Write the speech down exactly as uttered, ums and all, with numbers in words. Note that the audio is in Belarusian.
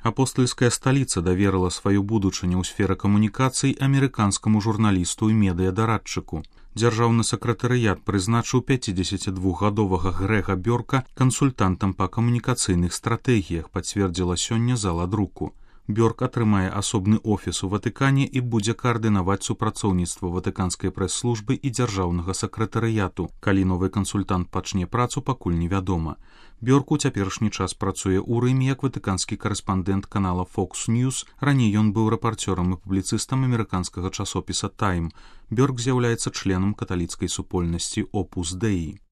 Апостольская сталіца даверыла сваю будучыню ў сферы камунікацый амерыканскаму журналісту і медыядарадчыку. Дзяржаўны сакратарыят прызначыў пяцідзесяцідвухгадовага Грэга Бёрка кансультантам па камунікацыйных стратэгіях, пацвердзіла сёння зала друку. Бёрк атрымае асобны офіс у Ватыкане і будзе каардынаваць супрацоўніцтва ватыканскай прэс-службы і дзяржаўнага сакратарыяту. Калі новы кансультант пачне працу, пакуль невядома. Бёрк у цяперашні час працуе ў Рыме як ватыканскі карэспандэнт канала Fox News. Раней ён быў рэпарцёрам і публіцыстам амерыканскага часопіса Time. Бёрк з'яўляецца членам каталіцкай супольнасці Opus Dei.